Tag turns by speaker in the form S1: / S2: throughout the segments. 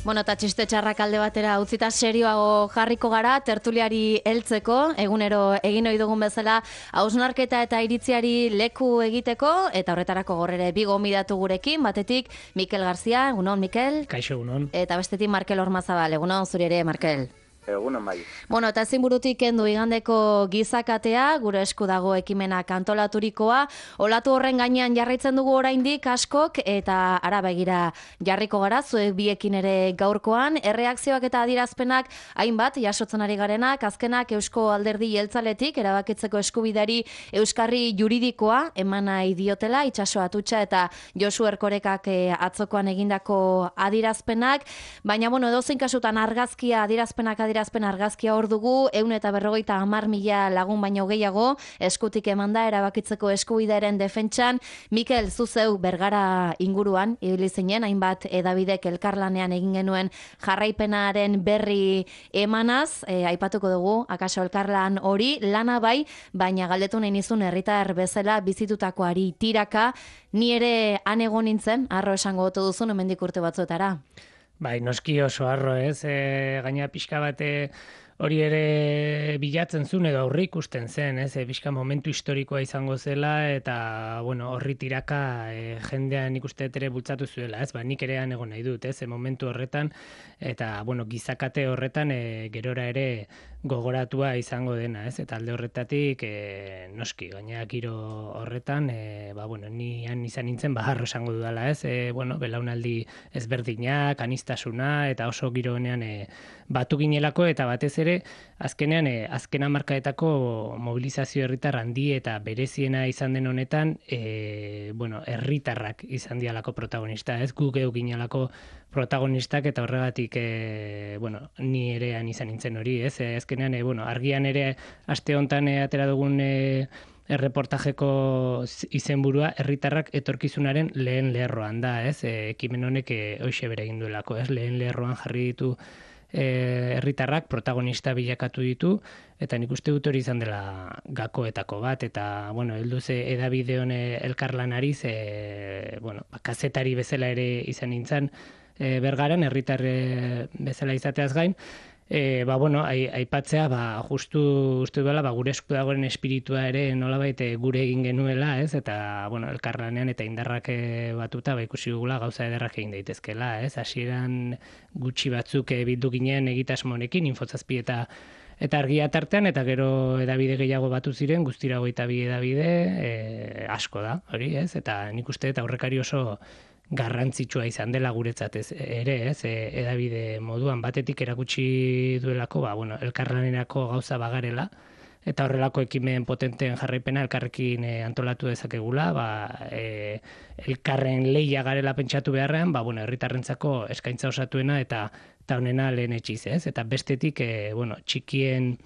S1: Bueno, eta txiste txarrak alde batera utzita serioago jarriko gara, tertuliari heltzeko, egunero egin ohi dugun bezala, hausnarketa eta iritziari leku egiteko, eta horretarako gorrere bi gonbidatu gurekin, batetik Mikel Garzia, egunon, Mikel?
S2: Kaixo, egunon.
S1: Eta bestetik Markel Ormazabal, egunon, zuri ere, Markel?
S3: Egunon bai.
S1: Bueno, eta ezin burutik kendu igandeko gizakatea, gure esku dago ekimenak antolaturikoa, olatu horren gainean jarraitzen dugu oraindik askok, eta ara begira jarriko gara, zuek biekin ere gaurkoan, erreakzioak eta adierazpenak hainbat jasotzen ari garenak, azkenak Eusko Alderdi Jeltzaletik erabakitzeko eskubidari euskarri juridikoa eman nahi diotela, Itxaso Atutxa eta Josu Erkorekak atzokoan egindako adierazpenak, baina bueno, edozein kasutan adierazpen argazkia hor dugu, 150.000 lagun baino gehiago, eskutik emanda erabakitzeko eskubidearen defentsan. Mikel, zuzeu Bergara inguruan, ibili zinen, hainbat edabidek elkarlanean egin genuen jarraipenaren berri emanaz, aipatuko dugu, akaso elkarlan hori, lana bai, baina galdetu nahi nizun herritar bezala bizitutakoari tiraka, ni ere han egon nintzen, arro esango otu duzun, hemendik urte batzuetara.
S2: Bai, noski oso harro ez, gaina pixka bate hori ere bilatzen zuen edo aurre ikusten zen, ez, pixka momentu historikoa izango zela eta, bueno, horri tiraka jendean ikuste ere bultzatu zuela, ez, nik ere han egon nahi dut, ez, momentu horretan, eta, bueno, gizakate horretan gerora ere gogoratua izango dena, ez, eta alde horretatik noski, gaina giro horretan, bueno, ni han izan nintzen, harro esango dudala, ez, bueno, belaunaldi ezberdinak, anistasuna, eta oso giro honean batu ginelako, eta batez ere, azkenean, azken hamarkadetako mobilizazio herritar handi eta bereziena izan den honetan, bueno, herritarrak izan dialako protagonista, ez, gu geu ginelako protagonistak, eta horregatik, bueno, ni ere han izan nintzen hori, ez, azkenean, bueno, argian ere aste hontan atera dugun erreportajeko izenburua herritarrak etorkizunaren lehen lerroan da, ez? Ekimen honek hoxe bere egin duelako, ez? Lehen lerroan jarri ditu herritarrak protagonista bilakatu ditu, eta nik uste dut hori izan dela gakoetako bat, eta, bueno, heldu ze edabide hone elkarlanari, bueno, kazetari bezala ere izan nintzen, Bergaran, herritar bezala izateaz gain, bueno, aipatzea, justu uste duela, gure esku dagoen espiritua ere nolabait gure egin genuela, ez? Eta, bueno, elkarlanean eta indarrak batuta, ikusi dugula gauza ederrak egin daitezkela, ez? Hasieran gutxi batzuk bildu ginen egitasmonekin, Infozazpi eta argia tartean, eta gero edabide gehiago batu ziren, guztira 22 edabide, asko da, hori, ez? Eta nik uste eta aurrekari oso garrantzitsua izan dela guretzat ere, ez, edabide moduan batetik erakutsi duelako, bueno, elkarlanerako gauza bagarela, eta horrelako ekimen potenteen jarraipena elkarrekin antolatu dezakegula, elkarren lehia garela pentsatu beharrean, bueno, herritarrentzako eskaintza osatuena eta honena lehen etxiz, ez, eta bestetik, bueno, txikien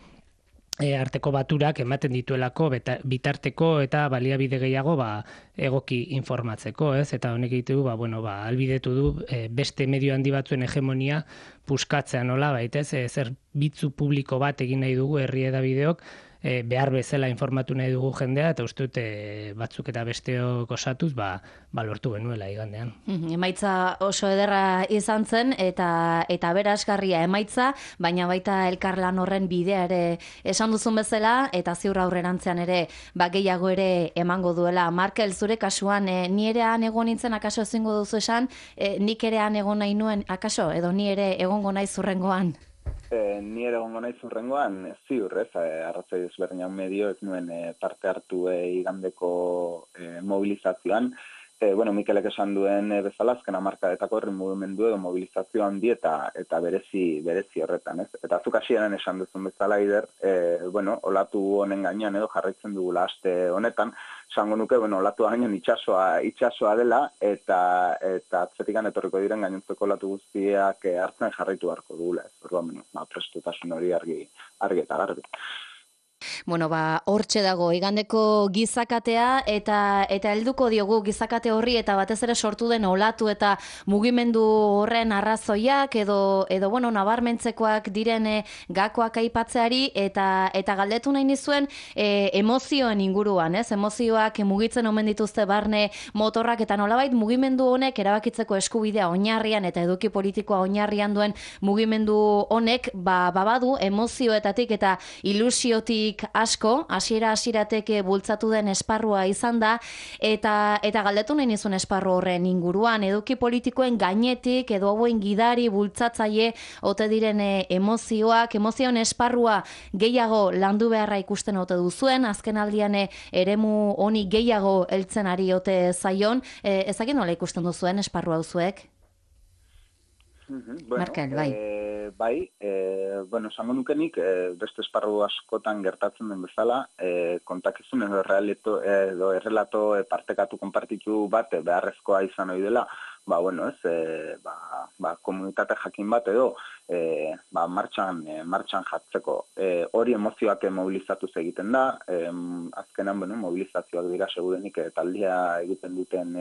S2: arteko baturak ematen dituelako bitarteko eta baliabide gehiago egoki informatzeko, ez? Eta honek egitu du, bueno, albidetu du beste medio handi batzuen hegemonia puskatzea nola, baitez, zerbitzu publiko bat egin nahi dugu herri edabideok, behar bezala informatu nahi dugu jendea, eta uste dute batzuk eta besteok osatuz, lortu genuela igandean.
S1: Emaitza oso ederra izan zen, eta aberasgarria emaitza, baina baita elkarlan horren bidea ere esan duzun bezala, eta ziur aurrerantzean ere gehiago ere emango duela. Markel, zure kasuan, ni ere han egon nintzen, akaso ezingo duzu esan, nik ere han egon nahi nuen, akaso, edo ni ere egongo nahi zurrengoan?
S3: Ni ere egongo nahi zurrengoan, ziur, ez, arrazoi ezberdinak medio ez nuen parte hartu igandeko mobilizazioan. Bueno, Mikelek esan duen bezala, azken hamarkadetako herri mugimendu edo mobilizazio handi eta berezi horretan, ez? Eta zuk hasieran esan duzun bezala, Ider, bueno, olatu honen gainean edo jarraitzen dugula aste honetan, esango nuke, bueno, olatu gainean itxasoa dela, eta atzetikan etorriko diren gainontzeko olatu guztiak hartzen jarraitu beharko dugula, ez? Orduan, prestutasun hori argi eta garbi.
S1: Bueno, hortxe dago, igandeko gizakatea eta helduko diogu gizakate horri eta batez ere sortu den olatu eta mugimendu horren arrazoiak edo bueno, nabarmentzekoak diren gakoak aipatzeari eta galdetu nahi nizuen emozioen inguruan, ez? Emozioak mugitzen omen dituzte barne motorrak eta nolabait mugimendu honek erabakitzeko eskubidea oinarrian eta eduki politikoa oinarrian duen mugimendu honek babadu emozioetatik eta ilusiotik asko, hasieratik bultzatu den esparrua izan da, eta galdetu nahi nizun esparru horren inguruan, eduki politikoen gainetik, edo hauen gidari bultzatzaile, ote diren emozioen esparrua gehiago landu beharra ikusten ote duzuen, azken aldian eremu honi gehiago heltzen ari ote zaion, ezagin nola ikusten duzuen esparrua duzuek?
S3: Bueno,
S1: Markel, bai.
S3: Bueno, esango nukenik, beste esparru askotan gertatzen den bezala, kontakizun edo errelato partekatu konpartitu bat beharrezkoa izan ohi dela, komunitate jakin bat edo martxan jartzeko. Hori emozioak mobilizatuz egiten da, azkenan mobilizazioak dira segurenik taldia egiten duten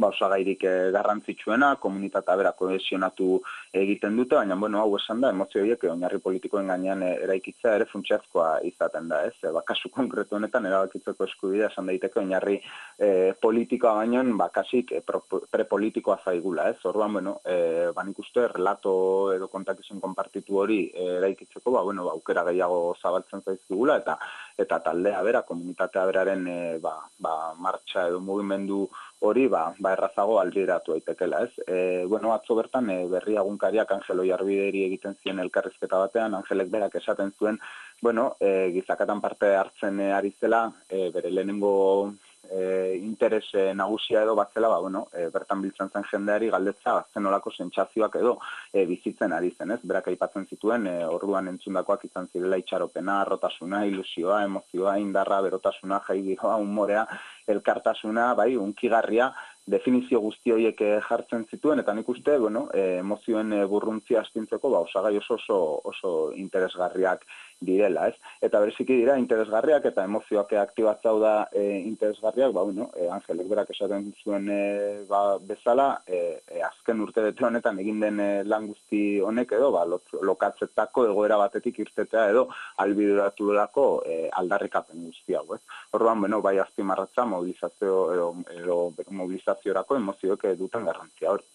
S3: osagairik garrantzitsuena, komunitatea bera kohesionatu egiten dute, baina hau esan da, emozio horiek oinarri politikoen gainean eraikitzea ere funtsezkoa izaten da, ez? Kasu konkretu honetan erabakitzeko eskubidea esan daiteke oinarri politikoa bainoen kasik prepolitikoa zaigula, ez? Orduan, nik uste relato edo kontakizun konpartitu hori eraikitzeko, aukera gehiago zabaltzen zaizkigula eta taldea bera, komunitatea beraren martxa edo mugimendu hori errazago albideratu daitekela, ez? Atzo bertan berri egunkariak Angelo Jarbideri egiten zien elkarrizketa batean, Angelek berak esaten zuen, gizakatan parte hartzen ari zela, bere lehenengo interes nagusia edo batzela, bertan biltzen zen jendeari galdetza zen olako sentsazioak edo bizitzen ari zen, ez? Berak aipatzen zituen, orduan entzundakoak izan zirela itxaropena, arrotasuna, ilusioa, emozioa, indarra, berotasuna, jaigiroa, humorea, elkartasuna, unkigarria, definizio guzti horiek jartzen zituen, eta nik uste, emozioen burruntzia astintzeko, osagai oso interesgarriak direla, ez? Eta bereziki dira interesgarriak eta emozioak aktibatzau da interesgarriak, Angelek berak esaten zuen bezala, azken urtebete honetan egin den lan guzti honek edo, lokatzetako egoera batetik irtetea edo albideratulako aldarrikapen guzti hau, ez? Orduan, bai azpimarratza mobilizaziorako emozioek duten garrantzia hori.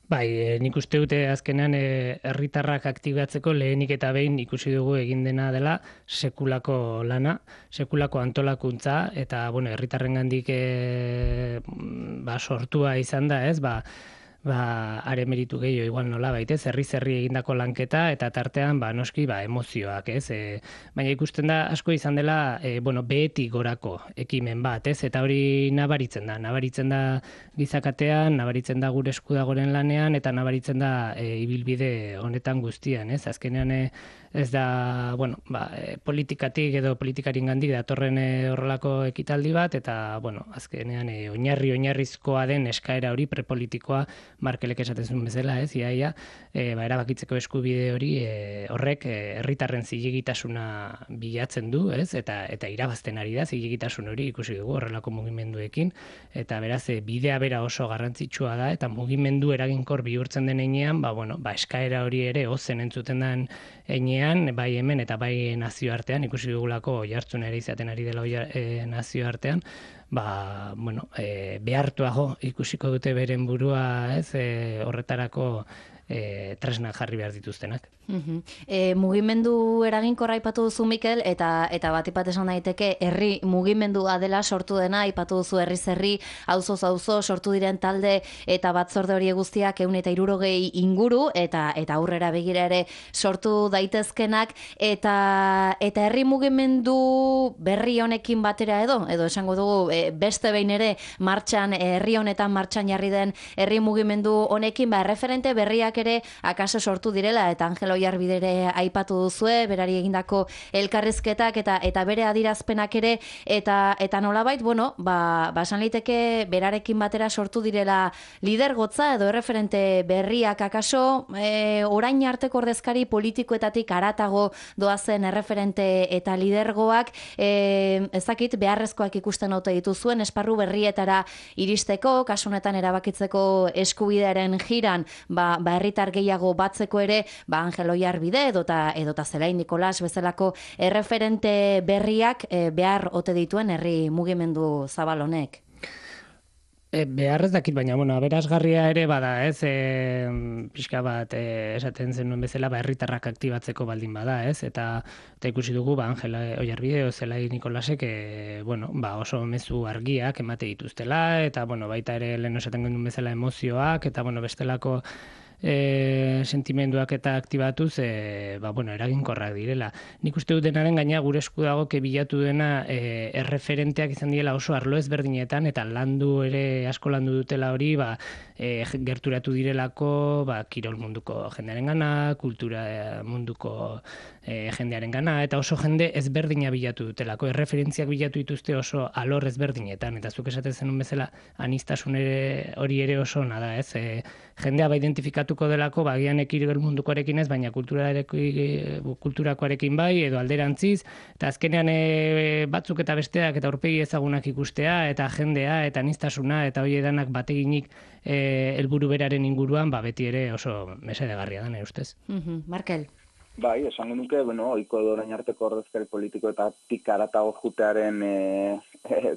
S2: Bai, nik uste dute azkenean herritarrak aktibatzeko lehenik eta behin ikusi dugu egin dena dela sekulako lana, sekulako antolakuntza eta herritarrengandik sortua izan da, ez? Are meritu gehiago igual nola baitez, herri egindako lanketa eta tartean noski emozioak, ez? Baina ikusten da asko izan dela behetik gorako ekimen bat, ez? Eta hori nabaritzen da gizakatean, nabaritzen da gure esku dagoren lanean eta nabaritzen da ibilbide honetan guztian, ez? Azkenean ez da, politikatik edo politikaringandik datorren horrelako ekitaldi bat eta, azkenean oinarrizkoa den eskaera hori prepolitikoa Markelek esaten zuen bezala, ez, iaia, erabakitzeko eskubide hori horrek herritarren zilegitasuna bilatzen du, ez, eta irabazten ari da zilegitasun hori ikusi dugu horrelako mugimenduekin, eta beraz, bidea bera oso garrantzitsua da, eta mugimendu eraginkor bihurtzen den heinean, eskaera hori ere ozen entzuten den heinean, bai hemen eta bai nazioartean, ikusi dugulako jartzun ere izaten ari dela nazioartean, behartuago ikusiko dute beren burua, ez, horretarako tresnak jarri behar dituztenak.
S1: Mugimendu eraginkorra aipatu duzu, Mikel, eta batipat esan daiteke herri mugimendua dela sortu dena, aipatu duzu herriz herri, auzoz auzo sortu diren talde eta batzorde hori guztiak 160 inguru eta aurrera begira ere sortu daitezkenak eta herri mugimendu berri honekin batera edo esango dugu beste behin ere herri honetan martxan jarri den herri mugimendu honekin referente berriak ere akaso sortu direla, eta Angel Oiarbidere aipatu duzue, berari egindako elkarrizketak eta bere adirazpenak ere, eta nolabait, bueno, esan liteke berarekin batera sortu direla lidergotza edo erreferente berriak akaso, orain arteko ordezkari politikoetatik haratago doazen erreferente eta lidergoak, ezakit beharrezkoak ikusten ote dituzuen esparru berrietara iristeko, kasu honetan erabakitzeko eskubidearen jiran, herritar gehiago batzeko ere, Angel Oiarbide edota Zelain Nikolas bezalako erreferente berriak behar ote dituen herri mugimendu zabal honek.
S2: Behar ez dakit, baina, aberasgarria ere bada, ez, pixka bat, esaten zenuen bezala, herritarrak aktibatzeko baldin bada, ez, eta ikusi dugu, Angel Oiarbide o Zelain Nikolasek, oso mezu argiak emate dituztela, eta, baita ere lehen esaten genuen bezala emozioak, eta, bestelako sentimenduak eta aktibatuz, eraginkorrak direla. Nik uste dut denaren gaina gure esku dago bilatu dena erreferenteak izan direla oso arlo ezberdinetan, eta asko landu dutela hori, gerturatu direlako, kirol munduko jendearen gana, kultura munduko jendearen gana, eta oso jende ezberdina bilatu dutelako, erreferentziak bilatu dituzte oso alor ezberdinetan, eta zuk esaten zenun bezala anistasun hori ere oso nada, ez, jendea identifikatuko delako, agian kirol mundukoarekin ez, baina kulturakoarekin bai, edo alderantziz, eta azkenean batzuk eta besteak eta aurpegi ezagunak ikustea, eta jendea, eta anistasuna, eta hori edanak bateginik helburu beraren inguruan, beti ere oso mesedegarria da, nire ustez.
S1: Markel.
S3: Bai, esango nuke, ohiko orain arteko ordezkari politiko eta tikaratago jutearen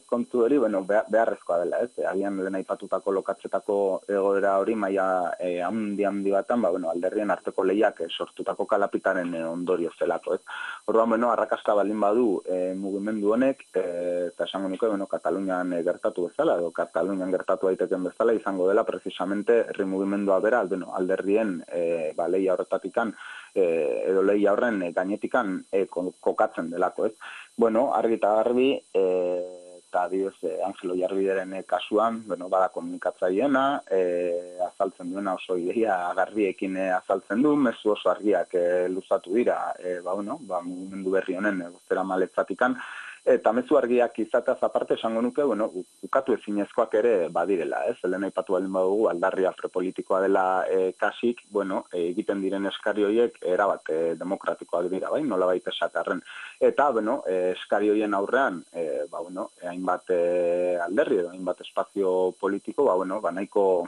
S3: kontu hori, beharrezkoa dela, ez? Agian lehen aipatutako lokatzetako egoera hori maila handi batan, alderrien arteko lehiak sortutako kalapitaren ondorio zelako, ez? Orduan, arrakasta baldin badu mugimendu honek, eta esango nuke, Katalunian gertatu bezala, edo Katalunian gertatu daiteken bezala, izango dela, precisamente, herri mugimendua bera, alderrien lehia horretatikan, edo lehia horren gainetikan kokatzen delako, ez? Argi eta garbi, eta adibidez Angel Oiarbideren kasuan, bada komunikatzaileena, azaltzen duena oso ideia garbiekin azaltzen du, mezu oso argiak luzatu dira, mugimendu berri honen bostera maletzatikan, eta mezu argiak izateaz aparte esango nuke, ukatu ezinezkoak ere badirela, ez? Lehen aipatu baldin badugu aldarria prepolitikoa dela kasik, egiten diren eskari horiek erabat demokratikoak dira, nolabait esatarren. Eta, eskari horien aurrean, hainbat alderri edo hainbat espazio politiko, nahiko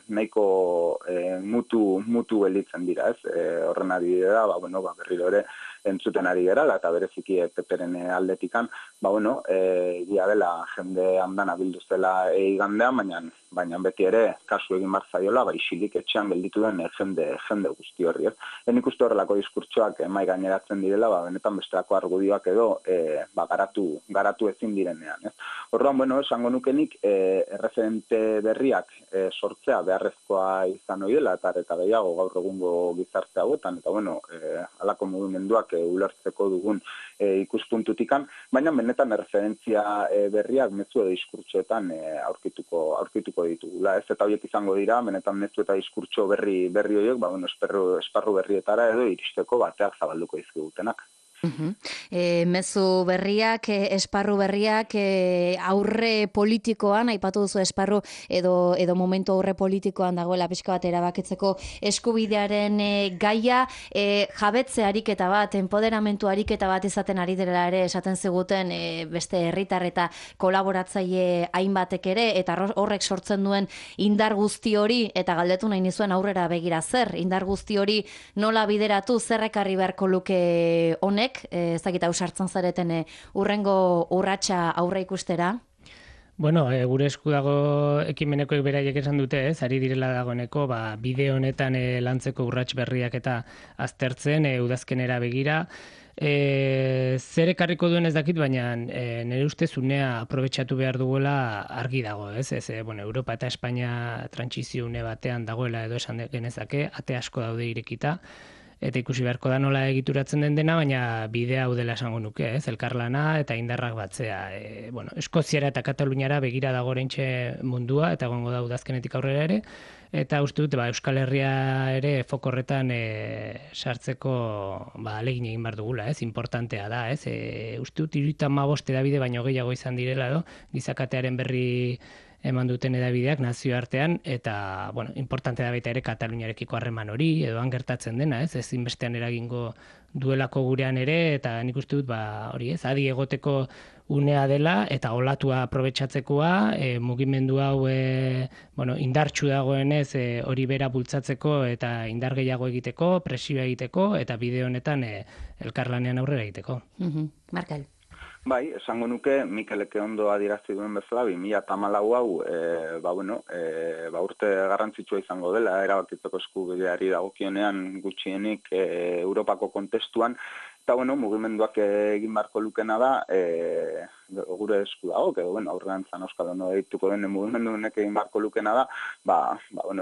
S3: mutu gelditzen dira, ez? Horren adibidea, berriro ere entzuten ari gerala, eta bereziki PP-ren aldetikan, egia dela jende handana bilduztela igandean, baina beti ere kasu egin bar zaiola, isilik etxean gelditu den jende guzti horri, ez? Nik uste horrelako diskurtsoak mai gaineratzen direla, benetan bestelako argudioak edo garatu ezin direnean, ez? Orduan, esango nukenik erreferente berriak sortzea beharrezkoa izan ohi dela, eta gehiago gaur egungo gizarte hauetan, eta halako mugimenduak ulertzeko dugun ikuspuntutikan, baina benetan referentzia berriak mezu edo diskurtsoetan aurkituko ditugula. Ez eta horiek izango dira, benetan mezu eta diskurtso berri horiek, esparru berrietara edo iristeko bateak zabalduko izkigutenak.
S1: Mezu berriak, esparru berriak, aurre politikoan, aipatu duzu esparru edo momentu aurre politikoan dagoela pixka bat erabakitzeko eskubidearen gaia, jabetze ariketa bat, empoderamentu ariketa bat izaten ari dela ere esaten ziguten beste herritar eta kolaboratzaile hainbatek ere, eta horrek sortzen duen indar guzti hori, eta galdetu nahi nizuen aurrera begira zer, indar guzti hori nola bideratu, zer ekarri beharko luke honek, ezagita usartzen zareten urrengo urratsa aurre ikustera?
S2: Gure esku dago ekimenekoek beraiek esan dute, ez, ari direla dagoeneko, bide honetan lantzeko urrats berriak eta aztertzen, udazkenera begira. Zer ekarriko duen ez dakit, baina nire ustez unea aprobetxatu behar duela argi dago, ez? Europa eta Espainia trantsizio une batean dagoela edo esan genezake, ate asko daude irekita. eta ikusi beharko da nola egituratzen den dena, baina bidea hau dela esango nuke, ez, elkarlana eta indarrak batzea. Bueno, Eskoziara eta Kataluniara begira dago oraintxe mundua, eta egongo da udazkenetik aurrera ere, eta uste dut Euskal Herria ere foko horretan sartzeko ahalegin egin behar dugula, ez, importantea da, ez, uste dut 35 hedabide baino gehiago izan direla edo, gizakatearen berri eman duten edabideak nazioartean, eta, bueno, importante da baita ere Kataluniarekiko harreman hori, edo han gertatzen dena, ez, ezinbestean eragingo duelako gurean ere, eta nik uste dut, hori ez, adi egoteko unea dela, eta olatua aprobetxatzekoa, mugimendu hau, indartsu dagoenez, hori bera bultzatzeko, eta indar gehiago egiteko, presioa egiteko, eta bide honetan elkarlanean aurrera egiteko.
S1: Markel.
S3: Bai, esango nuke, Mikeleke ondo adierazi duen bezala, 2014 hau, urte garrantzitsua izango dela, erabakitzeko eskubideari dagokionean gutxienik Europako kontestuan, eta mugimenduak egin beharko lukena da, gure esku dago, aurrerantzan Euskal Hono deituko den mugimendu honek egin beharko lukena da,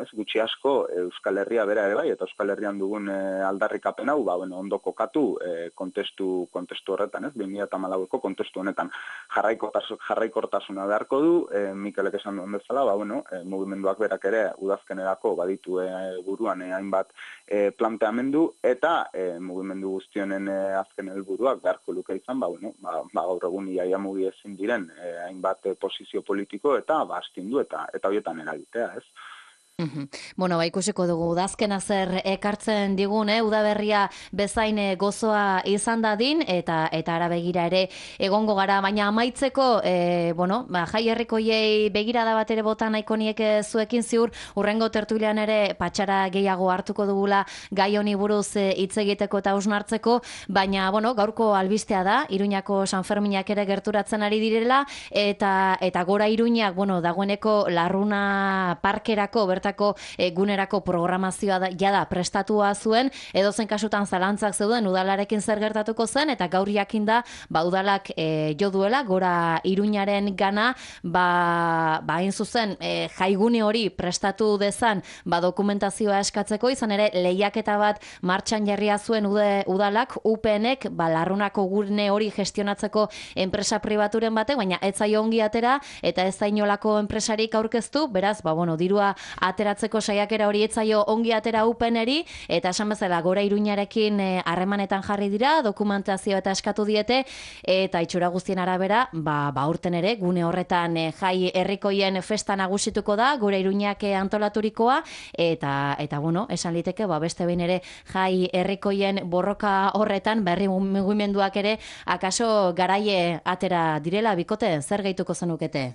S3: ez gutxi asko Euskal Herria bera ere bai, eta Euskal Herrian dugun aldarrikapen hau, ondo kokatu kontestu horretan, ez, 2014ko kontestu honetan jarraikortasuna beharko du, Mikelek esan duen bezala, mugimenduak berak ere udazkenerako baditu buruan hainbat planteamendu, eta mugimendu guztionen azken helburuak beharko luke izan, gaur egun iaia mugi ezin diren hainbat posizio politiko eta astindu eta horietan eragitea, ez?
S1: Bueno, ikusiko dugu udazkena zer ekartzen digun, udaberria bezain gozoa izan dadin, eta ara begira ere egongo gara, baina amaitzeko, jai herrikoiei begirada bat ere bota nahiko nieke zuekin ziur, urrengo tertulian ere patxara gehiago hartuko dugula gai honi buruz hitz egiteko eta hausnartzeko, baina, gaurko albistea da, Iruñako San Ferminak ere gerturatzen ari direla, eta gora Iruñak, dagoeneko Larruna parkerako, bertako gunerako programazioa jada prestatua zuen, edozen kasutan zalantzak zeuden udalarekin zer gertatuko zen, eta gaur jakin da, udalak jo duela, gora Iruñaren gana, hain zuzen, jaigune hori prestatu dezan, dokumentazioa eskatzeko, izan ere, lehiaketa bat martxan jarria zuen udalak, UPNek, Larrunako gune hori gestionatzeko enpresa pribaturen batek, baina ez zaio ongi atera, eta ez zainolako enpresarik aurkeztu, beraz, dirua ateratzeko saiakera hori etzaio ongi atera UPNeri, eta esan bezala gora Iruñarekin harremanetan jarri dira, dokumentazio eta eskatu diete, eta itxura guztien arabera, aurten ere, gune horretan jai herrikoien festa nagusituko da, gora Iruñak antolaturikoa, eta esan liteke, beste behin ere jai herrikoien borroka horretan, berri mugimenduak ere, akaso garaie atera direla, bikote, zer gehituko zenukete?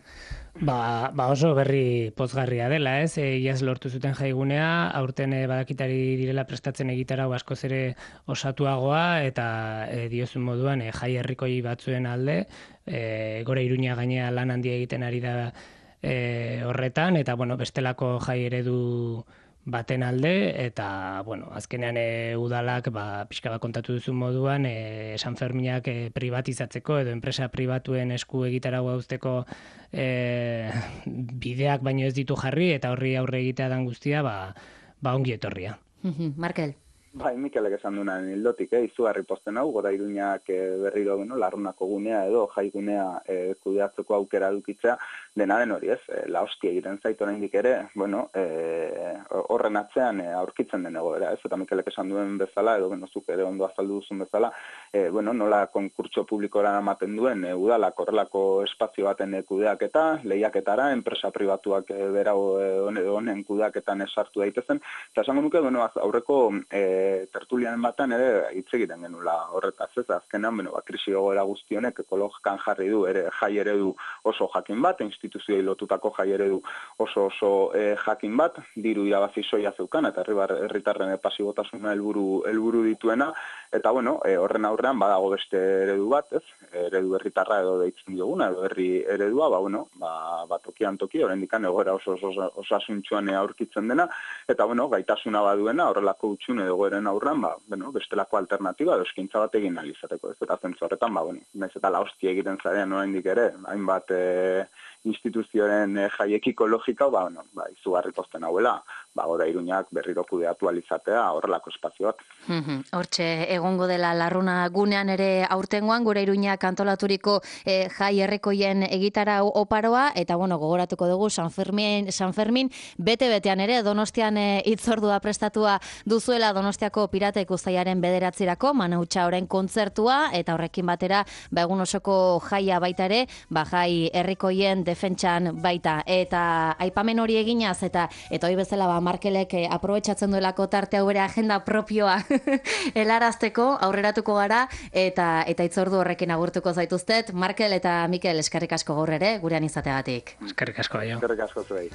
S2: Oso berri pozgarria dela, ez? Iaz lortu zuten jaigunea, aurten badakitari direla prestatzen egitarau askoz ere osatuagoa, eta diozun moduan jai herrikoi batzuen alde, gora Iruña gainea lan handia egiten ari da horretan, eta bestelako jai eredu baten alde, eta, azkenean udalak, pixka bat kontatu duzun moduan, San Ferminak privatizatzeko, edo enpresa pribatuen esku egitaragoa uzteko bideak baino ez ditu jarri, eta horri aurre egitea dan guztia, ongi etorria.
S1: Markel.
S3: Bai, Mikelek esan duenan hildotik, izugarri pozten hau, gora Iruñak berriro Larrunako gunea edo jaigunea kudeatzeko aukera edukitzea, dena den hori ez, la hostia egiten zait oraindik ere, horren atzean aurkitzen den egoera, ez, eta Mikelek esan duen bezala, edo zuk ere ondo azaldu duzun bezala, nola konkurtso publikora ematen duen, udalak horrelako espazio baten kudeaketa, lehiaketara, enpresa pribatuak bera honen kudeaketan esartu daitezen, eta esango nuke, aurreko tertulianen batan ere hitz egiten genula horretaz, ez, azkenean, krisi egoera guztionek ekologikan jarri du ere jai eredu oso jakin bat, instituzioei lotutako jai eredu oso jakin bat, diru irabazi soia zeukan, eta herritarren pasibotasuna helburu dituena, eta horren aurrean badago beste eredu bat, ez, eredu herritarra edo deitzen dioguna, edo herri eredua, tokian toki, oraindikan egoera oso osasuntsuan aurkitzen dena, eta gaitasuna baduena horrelako utxun edo goeren aurran, bestelako alternatiba edo eskaintza bat egin ahal izateko, ez, eta zentzu horretan, naiz eta la hostia egiten zarean oraindik ere, hainbat instituzioen jaiekiko logika, izugarri pozten hauela, gora Iruñak berriro kudeatu alizatea horrelako espazioak.
S1: Hortxe, egongo dela larruna gunean ere aurtengoan, gure Iruñak antolaturiko jai herrikoien egitara oparoa, eta gogoratuko dugu San Fermin bete-betean ere, Donostian hitzordua prestatua duzuela Donostiako Piratek uztailaren 9 Manautxa orain kontzertua, eta horrekin batera, egun osoko jaia baita ere, jai herrikoien defentsan baita. Eta aipamen hori eginaz, eta hori bezala Markelek aprobetxatzen duelako tarte hau bere agenda propioa helarazteko, aurreratuko gara, eta hitzordu horrekin agurtuko zaituztet. Markel eta Mikel, eskerrik asko gaur ere, gurean izateagatik.
S2: Eskerrik asko,
S3: Eskerrik asko zuei.